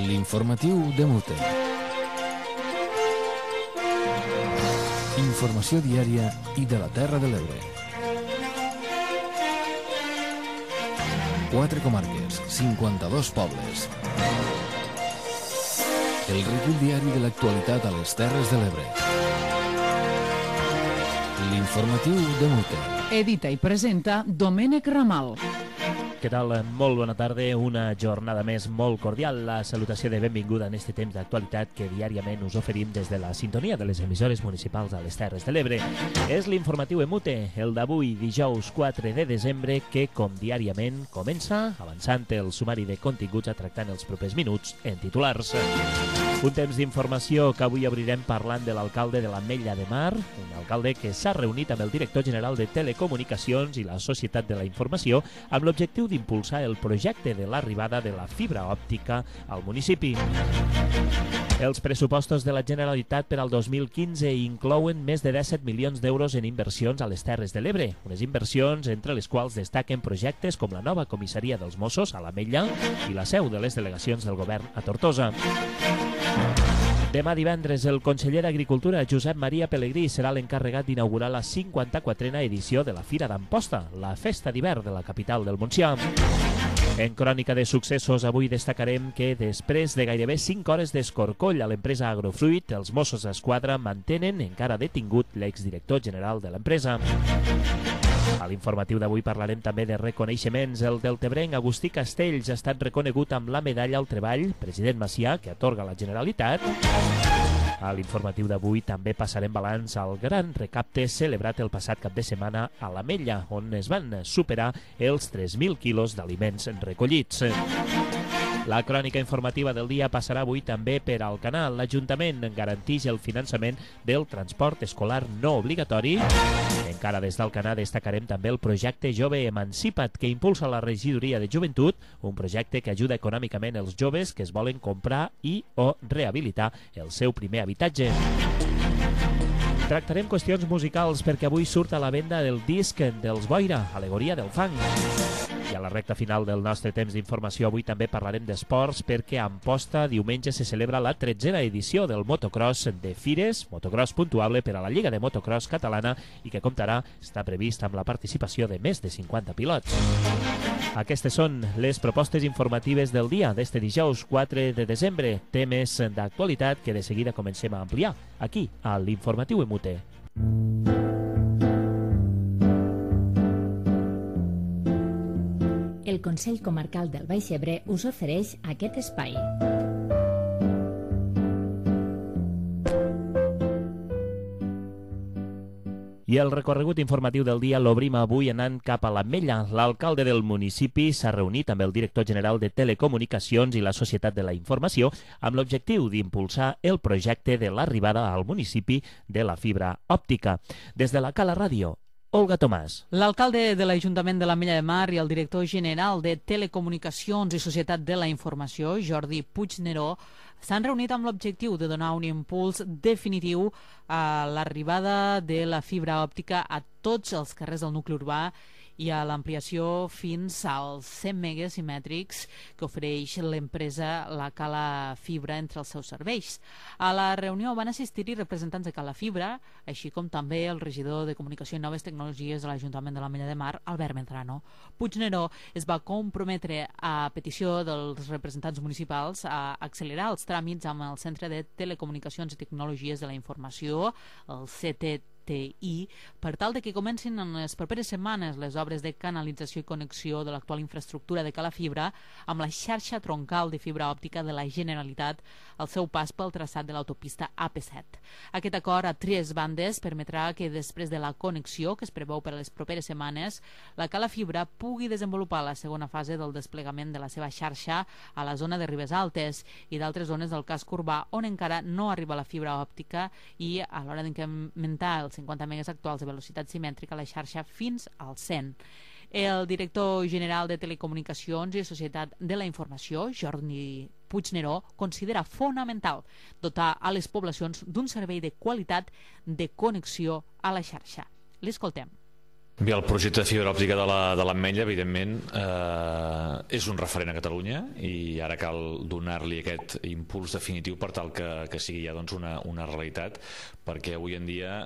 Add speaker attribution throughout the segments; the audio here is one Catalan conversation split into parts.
Speaker 1: L'informatiu de Mute. Informació diària i de la Terra de l'Ebre. 4 comarques, 52 pobles. El recull diari de l'actualitat a les Terres de l'Ebre. L'informatiu de Mute.
Speaker 2: Edita i presenta Domènec Ramal.
Speaker 3: Què tal? Molt bona tarda, una jornada més molt cordial. La salutació de benvinguda en este temps d'actualitat que diàriament us oferim des de la sintonia de les emissores municipals a les Terres de l'Ebre. És l'informatiu Emute, el d'avui, dijous 4 de desembre, que, com diàriament, comença avançant el sumari de continguts a tractar en els propers minuts en titulars. Un temps d'informació que avui obrirem parlant de l'alcalde de l'Ametlla de Mar, un alcalde que s'ha reunit amb el director general de Telecomunicacions i la Societat de la Informació amb l'objectiu d'impulsar el projecte de l'arribada de la fibra òptica al municipi. Els pressupostos de la Generalitat per al 2015 inclouen més de 17 milions d'euros en inversions a les Terres de l'Ebre, unes inversions entre les quals destaquen projectes com la nova comissaria dels Mossos a l'Ametlla i la seu de les delegacions del govern a Tortosa. Demà divendres, el conseller d'Agricultura, Josep Maria Pelegrí, serà l'encarregat d'inaugurar la 54a edició de la Fira d'Amposta, la festa d'hivern de la capital del Montsià. En crònica de successos, avui destacarem que després de gairebé 5 hores d'escorcoll a l'empresa Agrofruit, els Mossos d'Esquadra mantenen encara detingut l'exdirector general de l'empresa. A l'informatiu d'avui parlarem també de reconeixements. El deltebrenc Agustí Castells ha estat reconegut amb la medalla al treball President Macià, que atorga la Generalitat. A l'informatiu d'avui també passarem balanç al gran recapte celebrat el passat cap de setmana a l'Ametlla, on es van superar els 3.000 quilos d'aliments recollits. La crònica informativa del dia passarà avui també per Alcanar. L'Ajuntament garanteix el finançament del transport escolar no obligatori. Encara des d'Alcanar destacarem també el projecte Jove Emancipa't, que impulsa la Regidoria de Joventut, un projecte que ajuda econòmicament els joves que es volen comprar i o rehabilitar el seu primer habitatge. Tractarem qüestions musicals perquè avui surt a la venda el disc dels Boira, Alegoria del Fang. I a la recta final del nostre temps d'informació avui també parlarem d'esports perquè a Amposta diumenge se celebra la 13a edició del motocross de Fires, motocross puntuable per a la Lliga de Motocross Catalana i que comptarà, està previst, amb la participació de més de 50 pilots. Aquestes són les propostes informatives del dia d'este dijous 4 de desembre, temes d'actualitat que de seguida comencem a ampliar aquí a l'Informatiu Emute.
Speaker 4: El Consell Comarcal del Baix Ebre us ofereix aquest espai.
Speaker 3: I el recorregut informatiu del dia l'obrim avui anant cap a l'Ametlla. L'alcalde del municipi s'ha reunit amb el director general de Telecomunicacions i la Societat de la Informació amb l'objectiu d'impulsar el projecte de l'arribada al municipi de la fibra òptica. Des de la Cala Ràdio, Olga Tomàs.
Speaker 2: L'alcalde de l'Ajuntament de l'Ametlla de Mar i el director general de Telecomunicacions i Societat de la Informació, Jordi Puigneró, s'han reunit amb l'objectiu de donar un impuls definitiu a l'arribada de la fibra òptica a tots els carrers del nucli urbà i a l'ampliació fins als 100 megas simètrics que ofereix l'empresa La Cala Fibra entre els seus serveis. A la reunió van assistir-hi representants de Cala Fibra, així com també el regidor de Comunicació i Noves Tecnologies de l'Ajuntament de l'Ametlla de Mar, Albert Medrano. Puigneró es va comprometre a petició dels representants municipals a accelerar els tràmits amb el Centre de Telecomunicacions i Tecnologies de la Informació, el CTTI, per tal de que comencin en les properes setmanes les obres de canalització i connexió de l'actual infraestructura de Cala Fibra amb la xarxa troncal de fibra òptica de la Generalitat al seu pas pel traçat de l'autopista AP7. Aquest acord a 3 bandes permetrà que després de la connexió, que es preveu per a les properes setmanes, la Cala Fibra pugui desenvolupar la segona fase del desplegament de la seva xarxa a la zona de Ribes Altes i d'altres zones del casc urbà on encara no arriba la fibra òptica i a l'hora d'incrementar els 50 megas actuals de velocitat simètrica a la xarxa fins al 100. El director general de Telecomunicacions i Societat de la Informació, Jordi Puigneró, considera fonamental dotar a les poblacions d'un servei de qualitat de connexió a la xarxa. L'escoltem.
Speaker 5: Bé, el projecte de fibra òptica de l'Ametlla, evidentment, és un referent a Catalunya i ara cal donar-li aquest impuls definitiu per tal que sigui ja una realitat, perquè avui en dia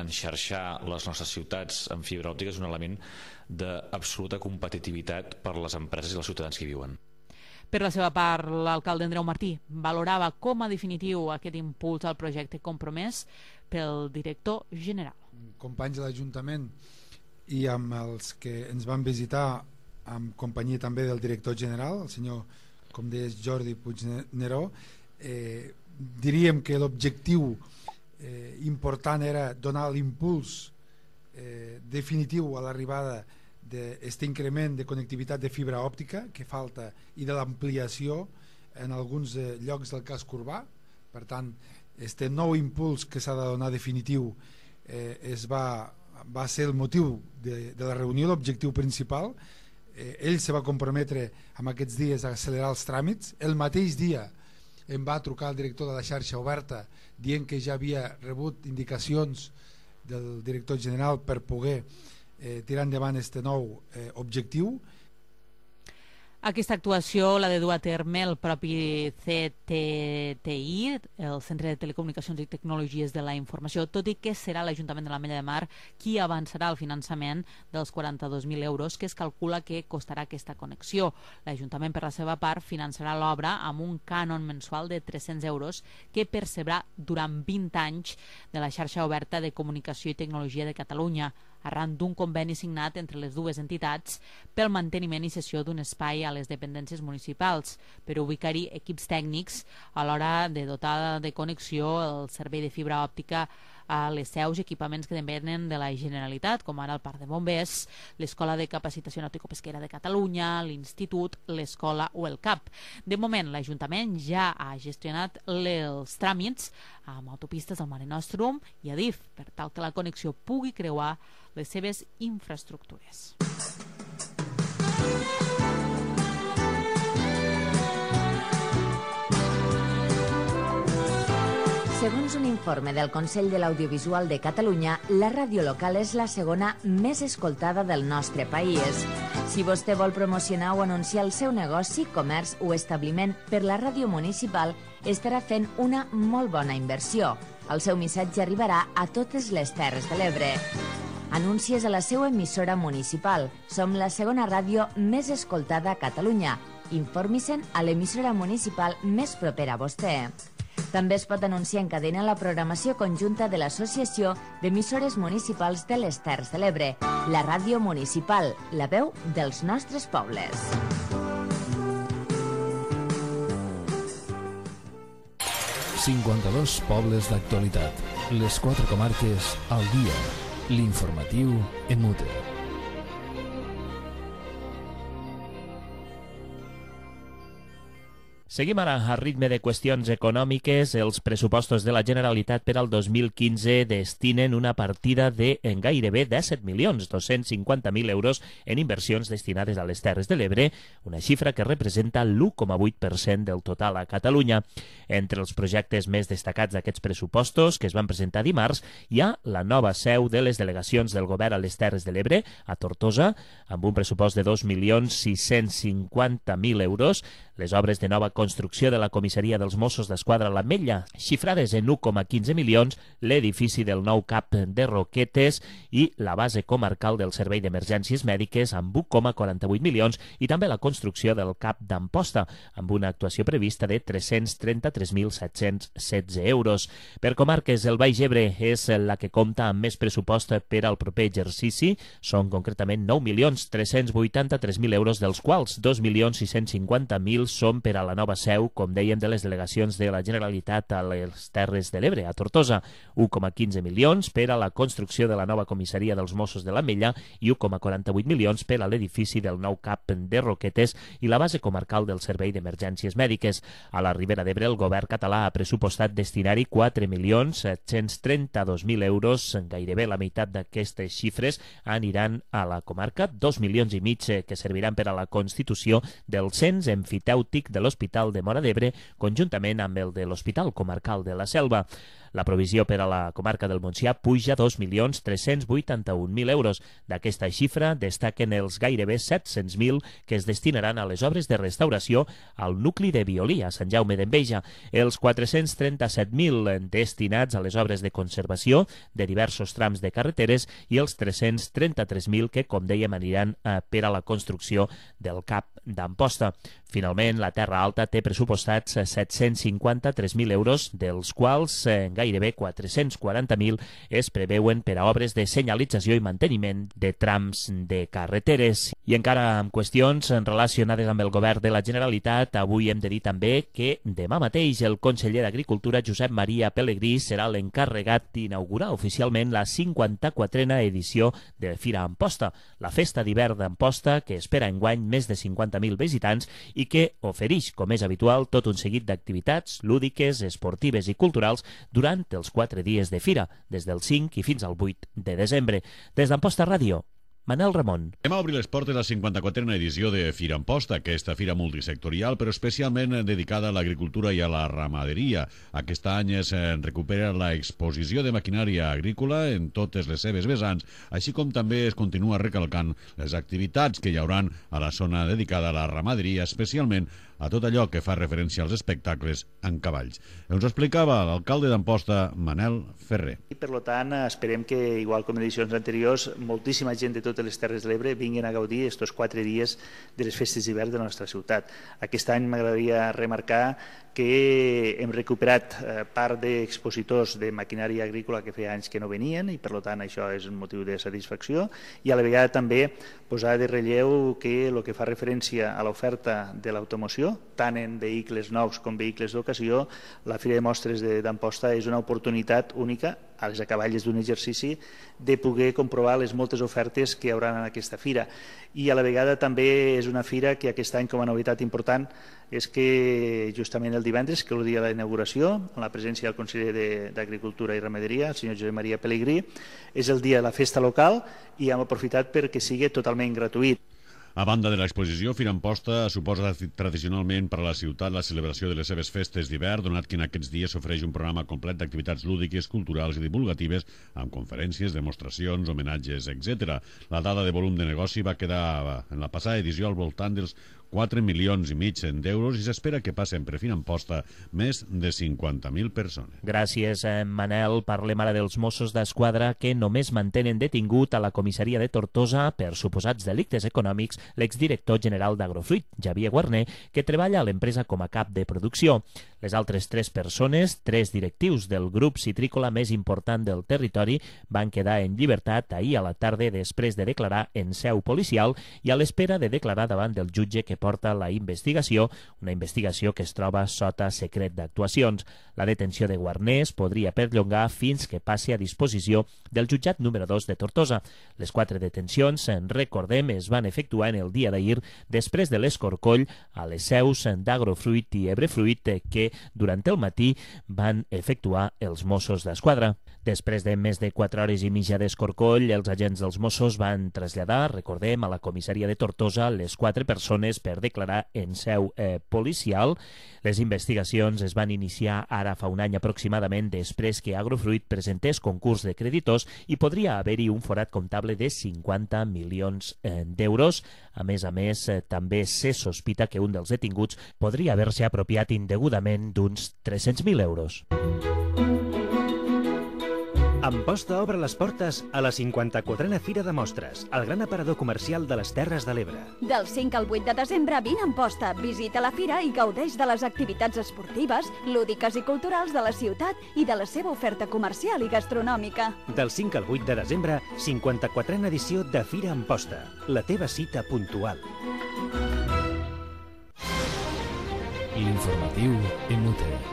Speaker 5: enxarxar les nostres ciutats amb fibra òptica és un element d'absoluta competitivitat per les empreses i els ciutadans que hi viuen.
Speaker 2: Per la seva part, l'alcalde Andreu Martí valorava com a definitiu aquest impuls al projecte compromès pel director general.
Speaker 6: Companys de l'Ajuntament i amb els que ens van visitar en companyia també del director general, el senyor, com deies, Jordi Puigneró, diríem que l'objectiu important era donar l'impuls definitiu a l'arribada d'aquest increment de connectivitat de fibra òptica que falta i de l'ampliació en alguns llocs del casc urbà. Per tant, aquest nou impuls que s'ha de donar definitiu va ser el motiu de la reunió, l'objectiu principal. Ell se va comprometre en aquests dies a accelerar els tràmits. El mateix dia em va trucar el director de la xarxa oberta dient que ja havia rebut indicacions del director general per poder tirar endavant aquest nou objectiu.
Speaker 2: Aquesta actuació l'ha de dur a terme el propi CTTI, el Centre de Telecomunicacions i Tecnologies de la Informació, tot i que serà l'Ajuntament de l'Ametlla de Mar qui avançarà el finançament dels 42.000 euros que es calcula que costarà aquesta connexió. L'Ajuntament, per la seva part, finançarà l'obra amb un cànon mensual de 300 euros que percebrà durant 20 anys de la xarxa oberta de comunicació i tecnologia de Catalunya, arran d'un conveni signat entre les dues entitats pel manteniment i cessió d'un espai a les dependències municipals per ubicar-hi equips tècnics a l'hora de dotar de connexió el servei de fibra òptica a les seus i equipaments que depenen de la Generalitat, com ara el Parc de Bombers, l'Escola de Capacitació Nàutico-Pesquera de Catalunya, l'Institut, l'Escola o el CAP. De moment, l'Ajuntament ja ha gestionat els tràmits amb autopistes del Mare Nostrum i Adif, per tal que la connexió pugui creuar les seves infraestructures.
Speaker 7: Segons un informe del Consell de l'Audiovisual de Catalunya, la ràdio local és la segona més escoltada del nostre país. Si vostè vol promocionar o anunciar el seu negoci, comerç o establiment per la ràdio municipal, estarà fent una molt bona inversió. El seu missatge arribarà a totes les Terres de l'Ebre. Anuncies a la seva emissora municipal. Som la segona ràdio més escoltada a Catalunya. Informi-se'n a l'emissora municipal més propera a vostè. També es pot anunciar en cadena la programació conjunta de l'Associació d'Emissores Municipals de les Terres de l'Ebre, la ràdio municipal, la veu dels nostres pobles.
Speaker 1: ...52 pobles d'actualitat. Les 4 comarques al dia. L'informatiu en Mute.
Speaker 3: Seguim ara a ritme de qüestions econòmiques. Els pressupostos de la Generalitat per al 2015 destinen una partida de gairebé 17.250.000 euros en inversions destinades a les Terres de l'Ebre, una xifra que representa l'1,8% del total a Catalunya. Entre els projectes més destacats d'aquests pressupostos, que es van presentar dimarts, hi ha la nova seu de les delegacions del govern a les Terres de l'Ebre, a Tortosa, amb un pressupost de 2.650.000 euros, les obres de nova construcció de la comissaria dels Mossos d'Esquadra a l'Ametlla, xifrades en 1,15 milions, l'edifici del nou CAP de Roquetes i la base comarcal del Servei d'Emergències Mèdiques amb 1,48 milions i també la construcció del CAP d'Amposta amb una actuació prevista de 333.716 euros. Per comarques, el Baix Ebre és la que compta amb més pressupost per al proper exercici. Són concretament 9.383.000 euros, dels quals 2.650.000 són per a la nova seu, com dèiem, de les delegacions de la Generalitat a les Terres de l'Ebre, a Tortosa, 1,15 milions per a la construcció de la nova comissaria dels Mossos de l'Ametlla i 1,48 milions per a l'edifici del nou CAP de Roquetes i la base comarcal del Servei d'Emergències Mèdiques. A la Ribera d'Ebre, el govern català ha pressupostat destinar-hi 4.732.000 euros. Gairebé la meitat d'aquestes xifres aniran a la comarca, 2,5 milions que serviran per a la constitució del cens emfitèutic de l'Hospital de Móra d'Ebre, conjuntament amb el de l'Hospital Comarcal de la Selva. La provisió per a la comarca del Montsià puja 2.381.000 euros. D'aquesta xifra destaquen els gairebé 700.000 que es destinaran a les obres de restauració al nucli de Violí, a Sant Jaume d'Enveja, els 437.000 destinats a les obres de conservació de diversos trams de carreteres i els 333.000 que, com dèiem, aniran per a la construcció del CAP d'Amposta. Finalment, la Terra Alta té pressupostats 753.000 euros, dels quals gairebé 440.000 es preveuen per a obres de senyalització i manteniment de trams de carreteres. I encara amb qüestions relacionades amb el govern de la Generalitat, avui hem de dir també que demà mateix el conseller d'Agricultura, Josep Maria Pelegrí, serà l'encarregat d'inaugurar oficialment la 54a edició de Fira Amposta, la festa d'hivern d'Amposta que espera enguany més de 50.000 visitants i que ofereix, com és habitual, tot un seguit d'activitats lúdiques, esportives i culturals durant els 4 dies de fira, des del 5 i fins al 8 de desembre. Des d'Amposta Ràdio, Manel Ramon.
Speaker 8: Demà obri les portes la 54a edició de Fira Amposta, aquesta fira multisectorial, però especialment dedicada a l'agricultura i a la ramaderia. Aquest any es recupera l'exposició de maquinària agrícola en totes les seves vessants, així com també es continua recalcant les activitats que hi hauran a la zona dedicada a la ramaderia, especialment a tot allò que fa referència als espectacles en cavalls. Ens ho explicava l'alcalde d'Amposta, Manel Ferrer.
Speaker 9: I per tant, esperem que, igual com en edicions anteriors, moltíssima gent de totes les Terres de l'Ebre vinguin a gaudir estos 4 dies de les festes d'hivern de la nostra ciutat. Aquest any m'agradaria remarcar que hem recuperat part d'expositors de maquinària agrícola que feia anys que no venien i per tant això és un motiu de satisfacció i a la vegada també posar de relleu que el que fa referència a l'oferta de l'automoció, tant en vehicles nous com vehicles d'ocasió, la Fira de Mostres d'Amposta és una oportunitat única a les acaballes d'un exercici de poder comprovar les moltes ofertes que hi haurà en aquesta fira. I a la vegada també és una fira que aquest any, com a novetat important, és que justament el divendres, que és el dia de la inauguració, amb la presència del conseller d'Agricultura i Ramaderia, el senyor Josep Maria Pelegrí, és el dia de la festa local i hem aprofitat perquè sigui totalment gratuït.
Speaker 8: A banda de l'exposició, Fira Amposta suposa tradicionalment per a la ciutat la celebració de les seves festes d'hivern, donat que en aquests dies s'ofereix un programa complet d'activitats lúdiques, culturals i divulgatives, amb conferències, demostracions, homenatges, etc. La dada de volum de negoci va quedar en la passada edició al voltant dels 4,5 milions d'euros i s'espera que passen per Fira Amposta més de 50.000 persones.
Speaker 3: Gràcies, Manel. Parlem ara dels Mossos d'Esquadra que només mantenen detingut a la comissaria de Tortosa per suposats delictes econòmics l'exdirector general d'Agrofruit, Xavier Guarner, que treballa a l'empresa com a cap de producció. Les altres 3 persones, 3 directius del grup citrícola més important del territori, van quedar en llibertat ahir a la tarda després de declarar en seu policial i a l'espera de declarar davant del jutge que porta la investigació, una investigació que es troba sota secret d'actuacions. La detenció de Guarner es podria perllongar fins que passi a disposició del jutjat número 2 de Tortosa. Les 4 detencions, recordem, es van efectuar en el dia d'ahir després de l'escorcoll a les seus d'Agrofruit i Ebrefruit que durant el matí van efectuar els Mossos d'Esquadra. Després de més de 4 hores i mitja d'escorcoll, els agents dels Mossos van traslladar, recordem, a la comissaria de Tortosa les 4 persones per declarar en seu policial. Les investigacions es van iniciar ara fa un any aproximadament després que Agrofruit presentés concurs de creditors i podria haver-hi un forat comptable de 50 milions d'euros. A més, també se sospita que un dels detinguts podria haver-se apropiat indegudament d'uns 300.000 euros.
Speaker 10: Amposta obre les portes a la 54a Fira de Mostres, el gran aparador comercial de les Terres de l'Ebre.
Speaker 11: Del 5 al 8 de desembre vine a Amposta, visita la fira i gaudeix de les activitats esportives, lúdiques i culturals de la ciutat i de la seva oferta comercial i gastronòmica.
Speaker 10: Del 5 al 8 de desembre, 54a edició de Fira Amposta, la teva cita puntual.
Speaker 1: L'informatiu MUTE.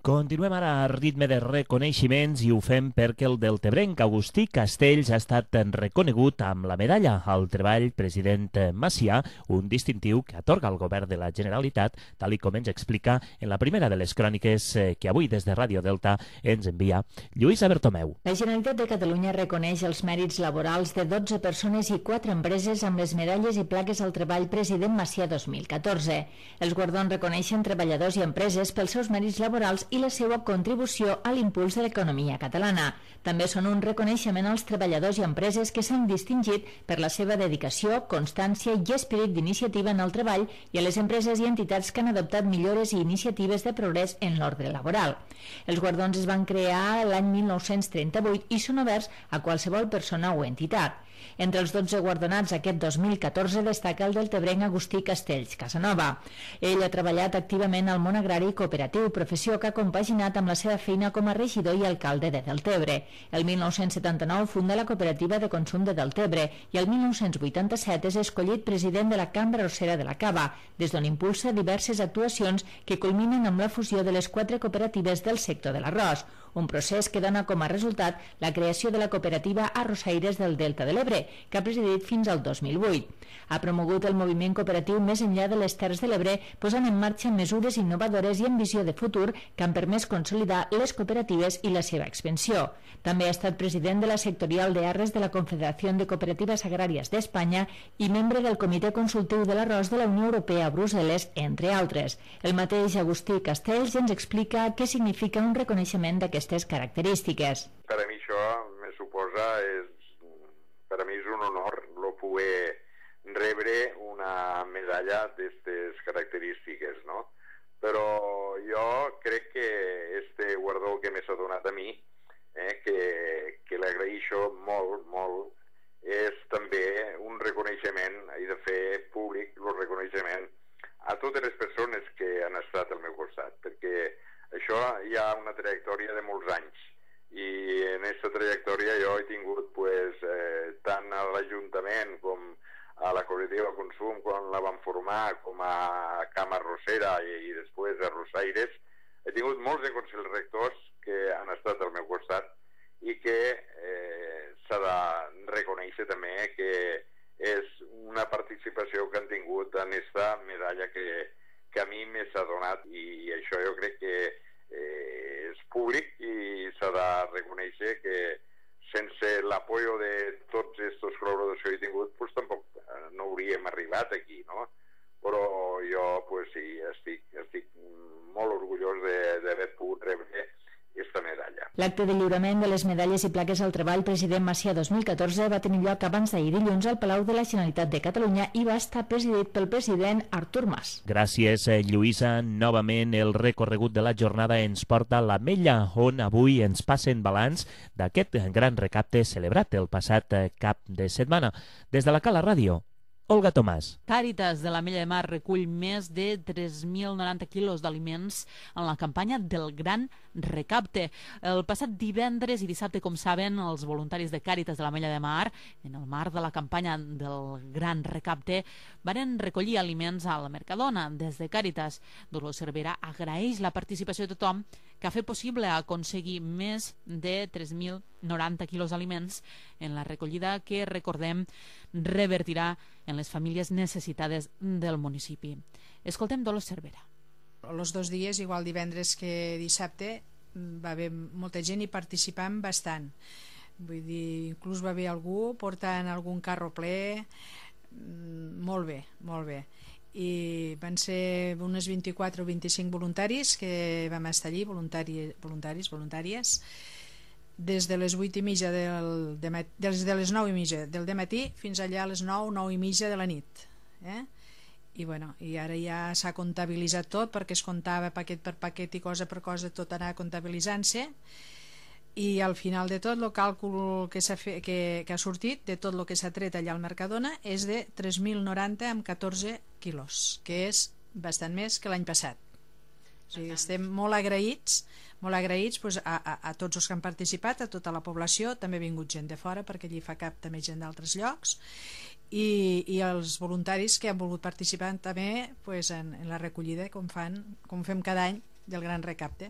Speaker 3: Continuem ara a ritme de reconeixements i ho fem perquè el deltebrenc Agustí Castells ha estat reconegut amb la medalla al treball president Macià, un distintiu que atorga el govern de la Generalitat, tal i com ens explica en la primera de les cròniques que avui des de Ràdio Delta ens envia Lluïsa Bertomeu.
Speaker 4: La Generalitat de Catalunya reconeix els mèrits laborals de 12 persones i 4 empreses amb les medalles i plaques al treball president Macià 2014. Els guardons reconeixen treballadors i empreses pels seus mèrits laborals i la seva contribució a l'impuls de l'economia catalana. També són un reconeixement als treballadors i empreses que s'han distingit per la seva dedicació, constància i esperit d'iniciativa en el treball i a les empreses i entitats que han adoptat millores i iniciatives de progrés en l'ordre laboral. Els guardons es van crear l'any 1938 i són oberts a qualsevol persona o entitat. Entre els 12 guardonats aquest 2014 destaca el deltebrenc Agustí Castells Casanova. Ell ha treballat activament al món agrari i cooperatiu, professió que ha compaginat amb la seva feina com a regidor i alcalde de Deltebre. El 1979 funda la Cooperativa de Consum de Deltebre i el 1987 és escollit president de la Cambra Arrossera de la Cava, des d'on impulsa diverses actuacions que culminen amb la fusió de les 4 cooperatives del sector de l'arròs, un procés que dona com a resultat la creació de la cooperativa Arrossaires del Delta de l'Ebre, que ha presidit fins al 2008. Ha promogut el moviment cooperatiu més enllà de les Terres de l'Ebre, posant en marxa mesures innovadores i amb visió de futur que han permès consolidar les cooperatives i la seva expansió. També ha estat president de la sectorial de Arres de la Confederació de Cooperatives Agràries d'Espanya i membre del Comitè Consultiu de l'Arròs de la Unió Europea a Brussel·les, entre altres. El mateix Agustí Castells ens explica què significa un reconeixement d'aquestes característiques.
Speaker 12: Per a mi això me suposa, per a mi és un honor no poder rebre una medalla d'aquestes característiques, no? Però jo crec que este guardó que m'ha donat a mi, que l'agraeixo molt, molt, és també un reconeixement, he de fer públic el reconeixement a totes les persones que han estat al meu costat, perquè això hi ha una trajectòria de molts anys i en aquesta trajectòria jo he tingut tant a l'Ajuntament com a la Cooperativa Consum quan la van formar, com a Cama Arrossera i després a Arrossaires, he tingut molts de consells rectors que han estat al meu costat i que s'ha de reconèixer també que és una participació que han tingut en aquesta medalla que a mi m'ha donat, i això jo crec que és públic i s'ha de reconèixer que sense l'apoyo de tots aquests col·laboradors que he tingut pues tampoc no hauríem arribat aquí, no? Però jo pues sí, estic molt orgullós d'haver pogut rebre aquesta medalla.
Speaker 4: L'acte de lliurament de les medalles i plaques al treball President Macià 2014 va tenir lloc abans d'ahir dilluns al Palau de la Generalitat de Catalunya i va estar presidit pel president Artur Mas.
Speaker 3: Gràcies, Lluïsa. Novament el recorregut de la jornada ens porta a l'Ametlla, on avui ens passen balanç d'aquest gran recapte celebrat el passat cap de setmana. Des de la Cala Ràdio, Olga Tomàs.
Speaker 2: Càritas de l'Ametlla de Mar recull més de 3.090 quilos d'aliments en la campanya del Gran Recapte. El passat divendres i dissabte, com saben, els voluntaris de Càritas de l'Ametlla de Mar, en el marc de la campanya del Gran Recapte, van recollir aliments a la Mercadona. Des de Càritas, Dolors Cervera agraeix la participació de tothom que ha fet possible aconseguir més de 3.090 quilos d'aliments en la recollida que, recordem, revertirà en les famílies necessitades del municipi. Escoltem Dolors Cervera.
Speaker 13: Els 2 dies, igual divendres que dissabte, va haver molta gent i participant bastant. Vull dir, inclús va haver algú portant algun carro ple. Molt bé, molt bé. I van ser unes 24 o 25 voluntaris que vam estar allí, voluntàries, des de les 8:30 des de les 9:30 del dematí fins allà a les 9:30 de la nit. I bueno, i ara ja s'ha comptabilitzat tot, perquè es comptava paquet per paquet i cosa per cosa, tot anar comptabilitzant-se, i al final de tot el càlcul que ha sortit de tot el que s'ha tret allà al Mercadona és de 3.090 amb 14 quilos, que és bastant més que l'any passat. O sigui, estem molt agraïts pues, a tots els que han participat, a tota la població. També ha vingut gent de fora, perquè allí fa cap també gent d'altres llocs, i els voluntaris que han volgut participar també pues, en la recollida, com fem cada any del Gran Recapte.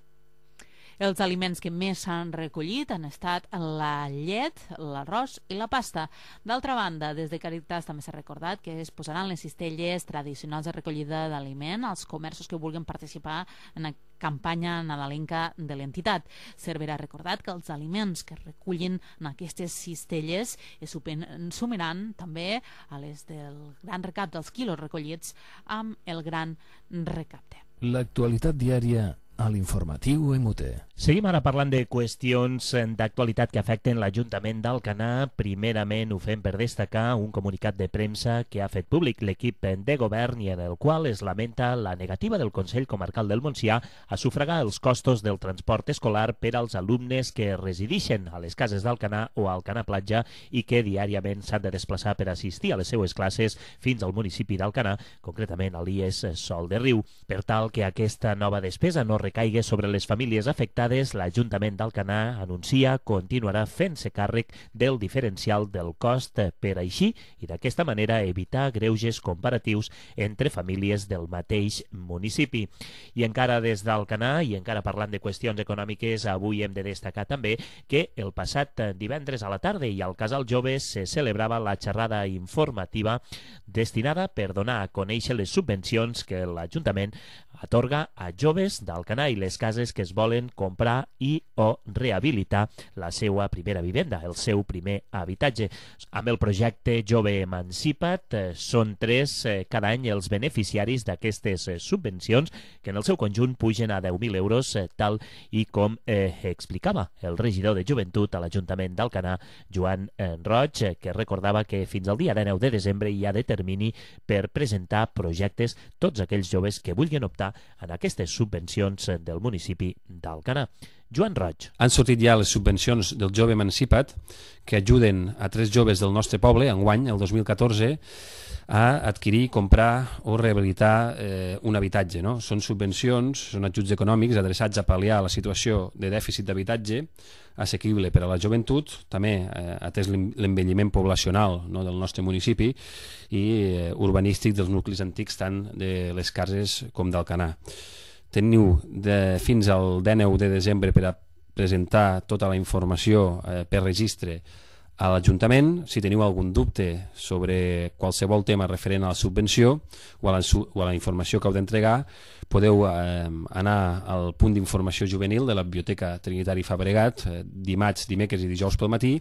Speaker 2: Els aliments que més s'han recollit han estat la llet, l'arròs i la pasta. D'altra banda, des de Càritas també s'ha recordat que es posaran les cistelles tradicionals de recollida d'aliment als comerços que vulguin participar en la campanya nadalenca de l'entitat. Cervera ha recordat que els aliments que recullin en aquestes cistelles es sumaran també a les del Gran Recapte, dels quilos recollits amb el Gran Recapte.
Speaker 1: L'actualitat diària a l'informatiu MUT.
Speaker 3: Seguim ara parlant de qüestions d'actualitat que afecten l'Ajuntament d'Alcanar. Primerament ho fem per destacar un comunicat de premsa que ha fet públic l'equip de govern i en el qual es lamenta la negativa del Consell Comarcal del Montsià a sufragar els costos del transport escolar per als alumnes que residixen a les cases d'Alcanar o a Alcanar Platja i que diàriament s'han de desplaçar per assistir a les seues classes fins al municipi d'Alcanar, concretament a l'IES Sol de Riu. Per tal que aquesta nova despesa no recaigui sobre les famílies afectades, l'Ajuntament d'Alcanar anuncia continuarà fent-se càrrec del diferencial del cost per així i d'aquesta manera evitar greuges comparatius entre famílies del mateix municipi. I encara des d'Alcanar, i encara parlant de qüestions econòmiques, avui hem de destacar també que el passat divendres a la tarda i al Casal Joves se celebrava la xerrada informativa destinada per donar a conèixer les subvencions que l'Ajuntament atorga a joves d'Alcanar i les cases que es volen comprar i o rehabilitar la seva primera vivenda, el seu primer habitatge. Amb el projecte Jove Emancipa't són 3 cada any els beneficiaris d'aquestes subvencions que en el seu conjunt pugen a 10.000 euros, tal i com explicava el regidor de Joventut a l'Ajuntament d'Alcanar, Joan Roig, que recordava que fins al dia 19 de desembre hi ha de termini per presentar projectes tots aquells joves que vulguin optar en aquestes subvencions del municipi d'Alcanar. Joan Roig.
Speaker 14: Han sortit ja les subvencions del Jove Emancipa't que ajuden a 3 joves del nostre poble, enguany, el 2014, a adquirir, comprar o rehabilitar un habitatge. No? Són subvencions, són ajuts econòmics adreçats a pal·liar la situació de dèficit d'habitatge assequible per a la joventut, també atès l'envelliment poblacional, no, del nostre municipi i urbanístic dels nuclis antics tant de les cases com d'Alcanar. Teniu fins al 19 de desembre per a presentar tota la informació per registre a l'Ajuntament. Si teniu algun dubte sobre qualsevol tema referent a la subvenció o a la informació que heu d'entregar, podeu anar al punt d'informació juvenil de la Biblioteca Trinitari Fabregat dimarts, dimecres i dijous pel matí,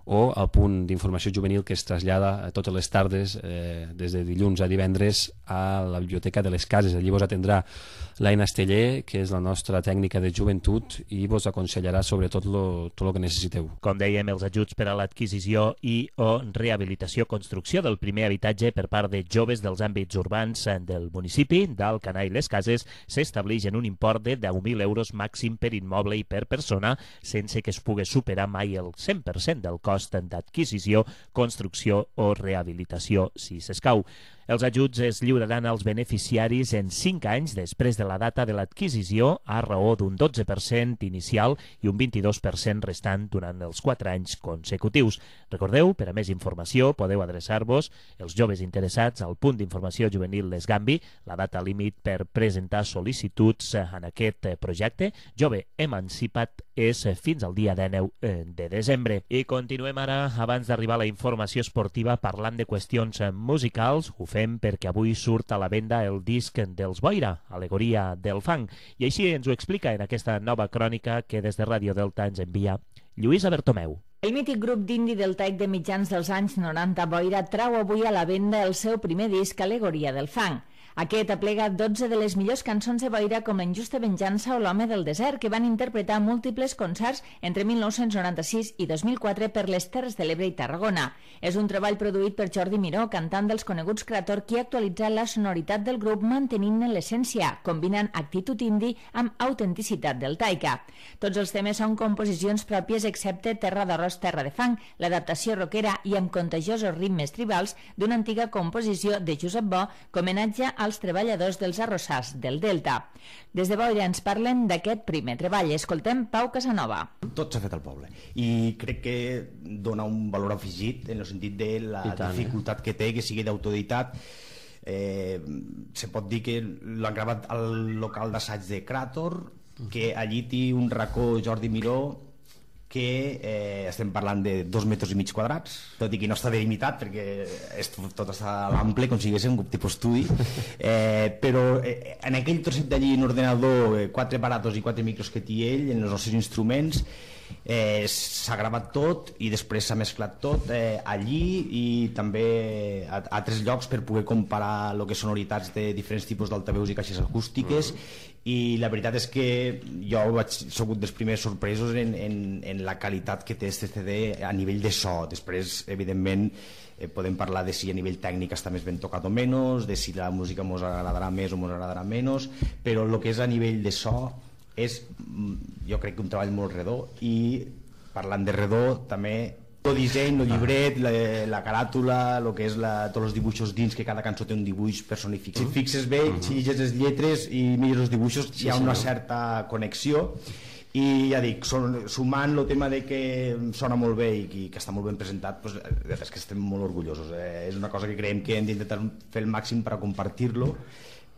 Speaker 14: o al punt d'informació juvenil que es trasllada totes les tardes des de dilluns a divendres a la Biblioteca de les Cases. Allí vos atendrà l'Aina Esteller, que és la nostra tècnica de joventut, i vos aconsellarà sobre tot el que necessiteu.
Speaker 3: Com dèiem, els ajuts per a l'adquisició i o rehabilitació construcció del primer habitatge per part de joves dels àmbits urbans del municipi d'Alcanar i les Cases s'estableix en un import de 10.000 euros màxim per immoble i per persona, sense que es pugui superar mai el 100% del cost d'adquisició, construcció o rehabilitació, si s'escau. Els ajuts es lliuraran als beneficiaris en 5 anys després de la data de l'adquisició, a raó d'un 12% inicial i un 22% restant durant els 4 anys consecutius. Recordeu, per a més informació podeu adreçar-vos, els joves interessats, al punt d'informació juvenil l'Esgambi. La data límit per presentar sol·licituds en aquest projecte Jove Emancipa't és fins al dia 19 de desembre. I continuem ara, abans d'arribar a la informació esportiva, parlant de qüestions musicals. Ho fem perquè avui surt a la venda el disc dels Boira, Alegoria del Fang, i així ens ho explica en aquesta nova crònica que des de Ràdio Delta ens envia Lluïsa Bertomeu.
Speaker 4: El mític grup d'indi deltaic de mitjans dels anys 90, Boira, trau avui a la venda el seu primer disc, Alegoria del Fang. Aquest aplega 12 de les millors cançons de Boira, com La injusta venjança o L'home del desert, que van interpretar múltiples concerts entre 1996 i 2004 per les Terres de l'Ebre i Tarragona. És un treball produït per Jordi Miró, cantant dels coneguts Creator, qui ha actualitzat la sonoritat del grup mantenint-ne l'essència, combinant actitud indi amb autenticitat deltaica. Tots els temes són composicions pròpies excepte Terra d'Arròs, Terra de Fang, l'adaptació rockera i amb contagiosos ritmes tribals d'una antiga composició de Josep Bo, com homenatge als treballadors dels arrossars del Delta. Des de Boira ens parlen d'aquest primer treball. Escoltem Pau Casanova.
Speaker 15: Tot s'ha fet al poble i crec que dona un valor afegit en el sentit de la dificultat que té que sigui d'autoditat. Se pot dir que l'han gravat al local d'assaig de Creator, que allí té un racó Jordi Miró que estem parlant de 2,5 metres quadrats, tot i que no està delimitat perquè tot està a l'ample, com si hagués un tipus estudi, però en aquell trosset d'allí en ordenador, 4 aparatos i 4 micros que té ell, en els nostres instruments, s'ha gravat tot i després s'ha mesclat tot allí i també a altres llocs per poder comparar el que sonoritats de diferents tipus d'altaveus i caixes acústiques i la veritat és que jo he sigut dels primers sorpresos en la qualitat que té este CD a nivell de so. Després, evidentment, podem parlar de si a nivell tècnic està més ben tocat o menys, de si la música ens agradarà més o ens agradarà menys, però el que és a nivell de so és, jo crec que un treball molt redó. I parlant de redó, també el disseny, el llibret, la caràtula, el que és tots els dibuixos dins, que cada cançó té un dibuix personificat. Si et fixes bé, si llegis les lletres i mires els dibuixos, hi ha una certa connexió. I ja dic, sumant el tema de que sona molt bé i que està molt ben presentat, és que estem molt orgullosos. És una cosa que creiem que hem d'intentar fer el màxim per a compartir-lo,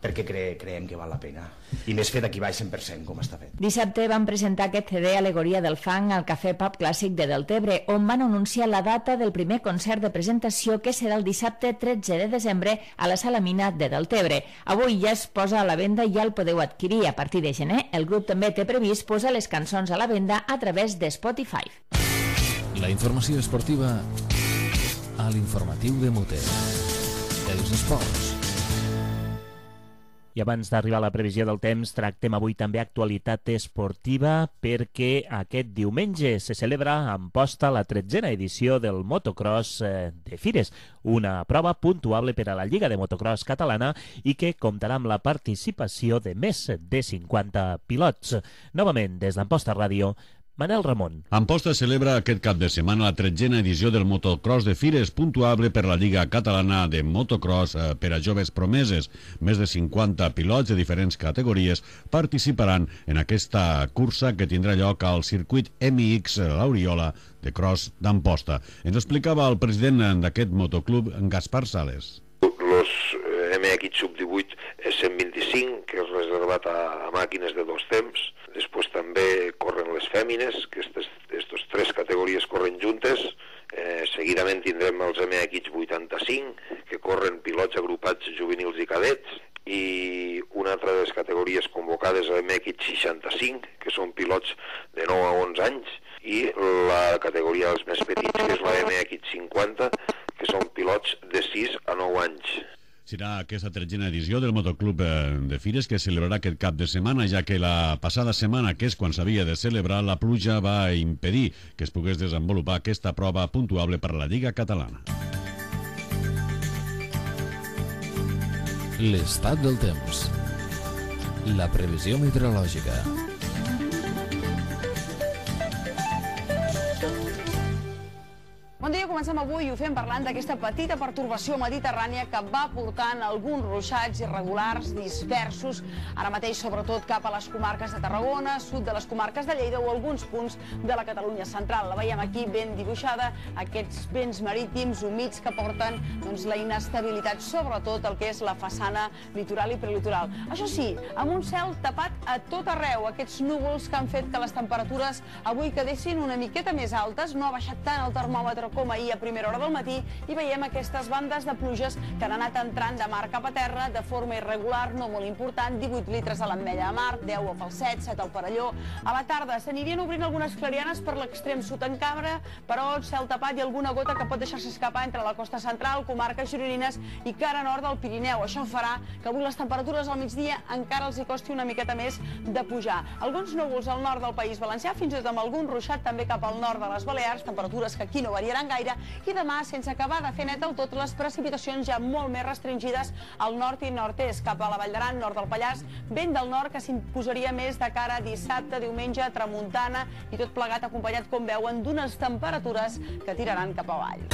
Speaker 15: perquè creiem que val la pena. I més fet aquí baix 100%, com està fet.
Speaker 4: Dissabte van presentar aquest CD Alegoria del Fang al Cafè Pub Clàssic de Deltebre, on van anunciar la data del primer concert de presentació, que serà el dissabte 13 de desembre a la Sala Mina de Deltebre. Avui ja es posa a la venda i ja el podeu adquirir. A partir de gener, el grup també té previst posar les cançons a la venda a través de Spotify.
Speaker 1: La informació esportiva a l'informatiu de Mute. Els esports.
Speaker 3: I abans d'arribar a la previsió del temps, tractem avui també actualitat esportiva perquè aquest diumenge se celebra a Amposta la 13a edició del motocross de Fires, una prova puntuable per a la Lliga de Motocross catalana i que comptarà amb la participació de més de 50 pilots. Novament, des d'Amposta Ràdio, Manel Ramon.
Speaker 8: Amposta celebra aquest cap de setmana la 13a edició del motocross de Fires, puntuable per la Lliga Catalana de Motocross per a joves promeses. Més de 50 pilots de diferents categories participaran en aquesta cursa que tindrà lloc al circuit MX L'Oriola de Cross d'Amposta. Ens explicava el president d'aquest motoclub, Gaspar Sales.
Speaker 16: Los MX Sub-18 és 125, que és reservat a màquines de 2 temps. Després també corren les fèmines, que aquestes 3 categories corren juntes. Seguidament tindrem els MX 85, que corren pilots agrupats juvenils i cadets, i una altra de les categories convocades a MX 65, que són pilots de 9 a 11 anys, i la categoria dels més petits, que és la MX 50, que són pilots de 6 a 9 anys.
Speaker 8: Serà aquesta 13a edició del motoclub de Fires que celebrarà aquest cap de setmana, ja que la passada setmana, que és quan s'havia de celebrar, la pluja va impedir que es pogués desenvolupar aquesta prova puntuable per a la Lliga Catalana.
Speaker 1: L'estat del temps. La previsió meteorològica.
Speaker 17: Bon dia, comencem avui i ho fem parlant d'aquesta petita pertorbació mediterrània que va portant alguns ruixats irregulars dispersos, ara mateix sobretot cap a les comarques de Tarragona, sud de les comarques de Lleida o alguns punts de la Catalunya central. La veiem aquí ben dibuixada, aquests vents marítims humits que porten la inestabilitat, sobretot el que és la façana litoral i prelitoral. Això sí, amb un cel tapat a tot arreu, aquests núvols que han fet que les temperatures avui quedessin una miqueta més altes, no ha baixat tant el termòmetre com ahir a primera hora del matí, i veiem aquestes bandes de pluges que han anat entrant de mar cap a terra de forma irregular, no molt important, 18 litres a l'Ametlla de Mar, 10 a Falset, 7 al Perelló. A la tarda s'anirien obrint algunes clarianes per l'extrem sud en Cabra, però cel tapat i alguna gota que pot deixar-se escapar entre la costa central, comarques gironines i cara nord del Pirineu. Això farà que avui les temperatures al migdia encara els hi costi una miqueta més de pujar. Alguns núvols al nord del País Valencià, fins i tot amb algun ruixat també cap al nord de les Balears, temperatures que aquí no variaran gaire, i demà, sense acabar de fer net del tot, les precipitacions ja molt més restringides al nord i nord-est, cap a la Vall d'Aran, nord del Pallars, vent del nord que s'imposaria més de cara a dissabte, diumenge, tramuntana, i tot plegat acompanyat, com veuen, d'unes temperatures que tiraran cap avall.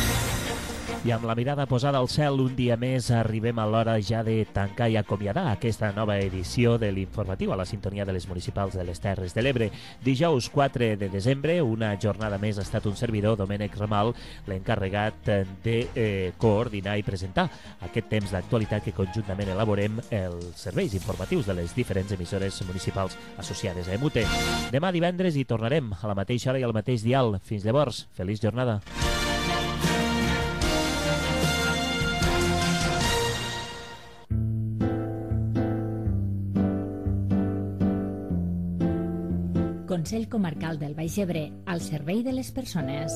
Speaker 3: I amb la mirada posada al cel, un dia més arribem a l'hora ja de tancar i acomiadar aquesta nova edició de l'informatiu a la sintonia de les municipals de les Terres de l'Ebre. Dijous 4 de desembre, una jornada més, ha estat un servidor, Domènec Ramal, l'encarregat de coordinar i presentar aquest temps d'actualitat que conjuntament elaborem els serveis informatius de les diferents emissores municipals associades a EMUTE. Demà divendres hi tornarem a la mateixa hora i al mateix dial. Fins llavors, feliç jornada.
Speaker 4: Consell Comarcal del Baix Ebre, al servei de les persones.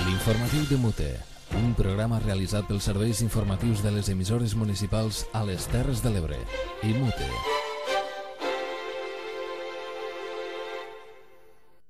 Speaker 1: L'informatiu de Mute, un programa realitzat pels serveis informatius de les emissores municipals a les Terres de l'Ebre i Mute.